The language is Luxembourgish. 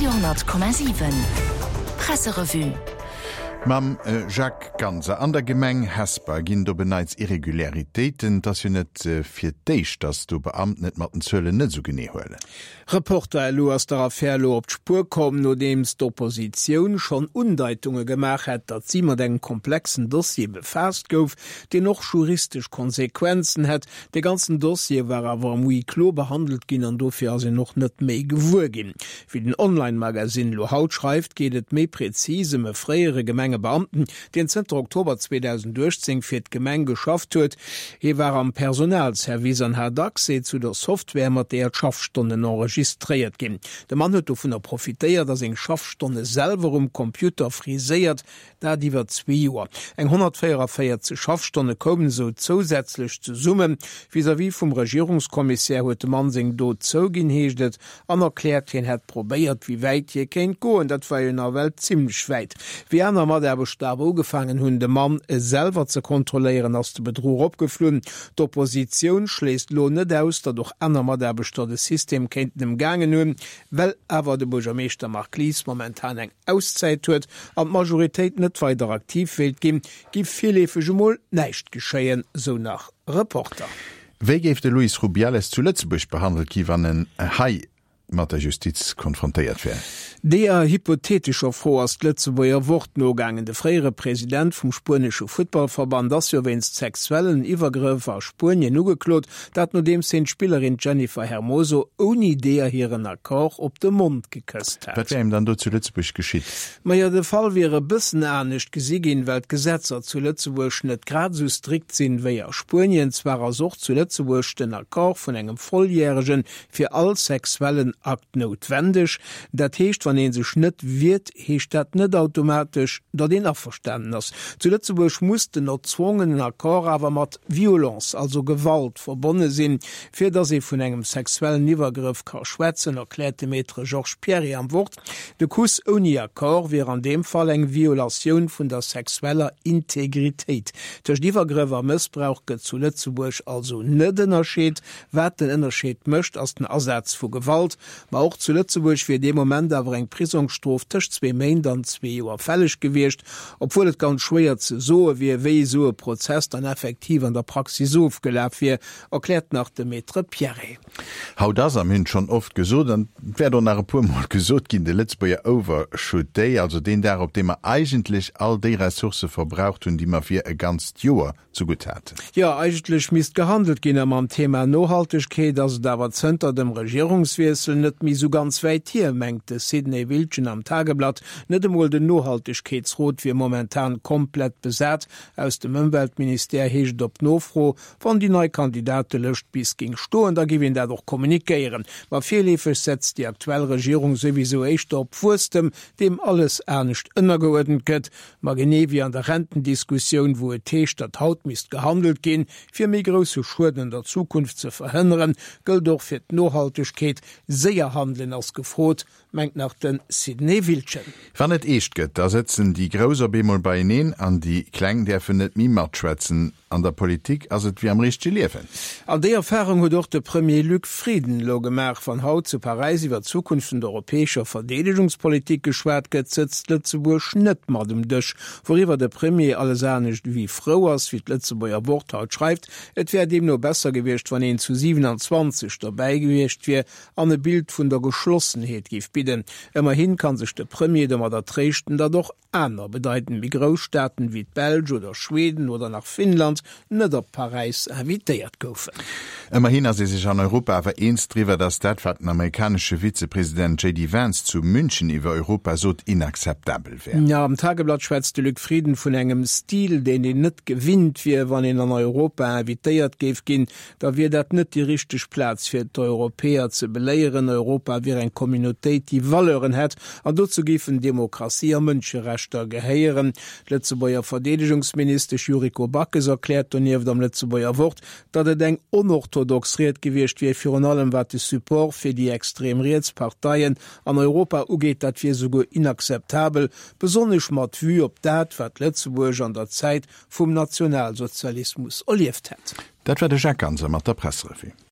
Radio 10,7 Presserevue. Mam Jacques Ganser. An der Gemeng Hesper ginn et op en Neits Irregularitéiten. Et ass jo net fir d'éischt, datt do Beamten et mat den Zuelen net esou genee huelen. Reporter, Elo ass der Affär elo op d'Spuer komm, nodeems d'Oppositioun schonn Undeitunge gemaach hätt, datt si mat engem komplexen Dossier befaasst gouf, deen och juristesch Konsequenzen hätt. Dee ganzen Dossier war awer am Huis clos behandelt ginn an dofir ass een och net méi gewuer ginn. Wéi den Online-Magasinn elo haut schreift, geet et méi prezis ëm e fréiere Gemengebeamten, deen zënter Oktober 2018 fir d'Gemeng geschafft huet. Hie war am Personalservice an hat Accès zu der Software, mat deeër d'Schaffstonnen enregistréiert ginn. De Mann huet dovunner profitéiert a seng Schaffstonne selwer um Computer friséiert, dat iwwer zwee Joer. Eng 144 Schaffstonne koumen esou zousätzlech zesummen. Vis-à-vis vum Regierungskommissär huet de Mann seng Dot zouginn, heescht et. An erkläert, hien hätt probéiert, wéi wäit hie kéint goen. Dat war jo nawell zimlech wäit. Wéi aner Mataarbechter awer ugefaangen hunn, de Mann selwer ze kontrolléieren, ass de Bedruch opgeflunn. D'Oppositioun schléisst elo net aus, datt och aner Mataarbechter de System kéinten ëmgaangen hunn. Well awer de Buergermeeschter Marc Lies momentan eng Auszäit huet an d'Majoritéit net weider aktiv wéilt ginn, giff virleefeg emol näischt geschéien, sou nach Reporter. Wéi géif de Luis Rubiales zu Lëtzebuerg behandelt gi wann en hei mat der Justiz konfrontéiert wär? Deeër hypotheetescher Fro ass d'Lëtzebuerger Wort nogaangen. De fréiere President vum spuenesche Futtballverband ass jo wéinst sexuellen Iwwergrëff a Spuenien ugeklot, dat nodeems hien d'Spillerin Jennifer Hermoso ouni deeër hiren Accord op de Mond gekësst hat. Wat wär him dann do zu Lëtzebuerg geschitt? Majo, de Fall wier e bëssen anescht gesi ginn, well d'Gesetzer zu Lëtzebuerg net grad esou strikt sinn wéi a Spuenien. Zwar ass och zu Lëtzebuerg den Accord vun engem Volljäregen fir all sexuellen Akt noutwendeg. Dat heescht, wann ee sech net wiert, heescht dat net automatesch, datt een averstanen ass. Zu Lëtzebuerg muss den erzwongenen Accord awer mat Violence, also Gewalt, verbonne sinn, fir datt ee vun engem sexuellen Iwwergrëff ka schwätzen, erkläert de Maître Georges Pierret am Wort. De Kuss ouni Accord wier an deem Fall eng Violatioun vun der sexueller Integritéit. Tëscht Iwwergrëff a Mëssbrauch gëtt zu Lëtzebuerg also net ënnerscheet. Wat den Ënnerscheed mécht, ass den Asaz vu Gewalt. Ma och zu Lëtzebuerg wier dee Moment awer eng Prisongsstrof tëscht zwee Méint an zwee Joer fälleg gewiescht, obwuel et ganz schwéier ze soe wier, wéi esou e Prozess dann effektiv an der Praxis ofgelaf wier, erkläert nach de Maître Pierret. Haut ass, a mir hunn et schonn oft gesot an et wäert och nach e puer Mol gesot ginn, de Lëtzebuerger Overshoot Day, also deen Dag, op deem mer eigentlech all déi Ressourcë verbraucht hunn, déi mer fir e ganzt Joer zegutt haten. Jo, eigentlech misst gehandelt ginn a mam Thema Nohaltegkeet ass et awer zënter dem Regierungswiessel net méi sou ganz wäit hier, mengt de Sidney Wildgen am Tageblatt. Net emol den Nohaltegkeetsrot wier momentan komplett besat. Aus dem Ëmweltministère heescht et op Nofro, Wann déi nei Kandidatelëscht bis géing stoen, da géif een dat och kommunikéieren. Ma virleefeg setzt déi aktuell Regierung souwisou éischter op Wuesstem, deem alles anescht ënnergeuerdent gëtt. Ma genee wéi an der Rentendiskussioun, wou et heescht, datt haut misst gehandelt ginn, fir méi grousse Schued an der Zukunft ze verhënneren, gëllt och fir d'Nohaltegkeet, Séier handelen ass gefrot, mengt nach de Sidney Wildgen. Wann et eescht gëtt, da sëtzen déi Grouss op eemol beieneen an déi Kleng däerfen net méi matschwätzen. An der Politik ass et wéi am richtege Liewen. An déi Erfarung huet och de Premier Luc Frieden elo gemaach. Wann haut zu Paräis iwwer d'Zukunft vun der europäescher Verdeedegungspolitik geschwat gëtt, sëtzt Lëtzebuerg net mat um Dësch. Wouriwwer de Premier alles anescht ewéi frou ass, wéi d'Lëtzebuerger Wort haut schreift. Et wär deemno besser gewiescht, wann een zu 27 dobäi gewiescht wier, an e Bild vun der Geschlossenheet géif bidden. Ëmmerhin kann sech de Premier domadder tréischten, datt och aner bedeitend méi grouss Staaten wéi d'Belsch oder Schweden oder nach Finnland net op Paräis invitéiert goufen. Ëmmerhin ass ee sech an Europa awer eens driwwer, datt dat, wat den amerikanesche Vizepresident JD Vance zu München iwwer Europa sot, inakzeptabel wär. Am Tageblatt schwätzt de Luc Frieden vun engem Stil, deen een net gewinnt wier, wann een an Europa invitéiert géif ginn. da wier dat net déi richteg Plaz fir d'Europäer ze beléieren. Europa wier eng Communautéit, déi Valeuren hätt, an dozou géifen Demokratie a Mënscherechter gehéieren. D'Lëtzebuerger Verdeedegungsministesch Yuriko Backes erkläert donieft am Lëtzebuerger Wort, datt et eng onorthodox Ried gewiescht wier, virun allem wat de Support fir déi extrem riets Parteien an Europa ugeet. Dat wier souguer inakzeptabel, besonnesch mat Vue op dat, wat Lëtzebuerg an der Zäit vum Nationalsozialismus erlieft hätt. Dat war de Jacques Ganser mat der Presserevue.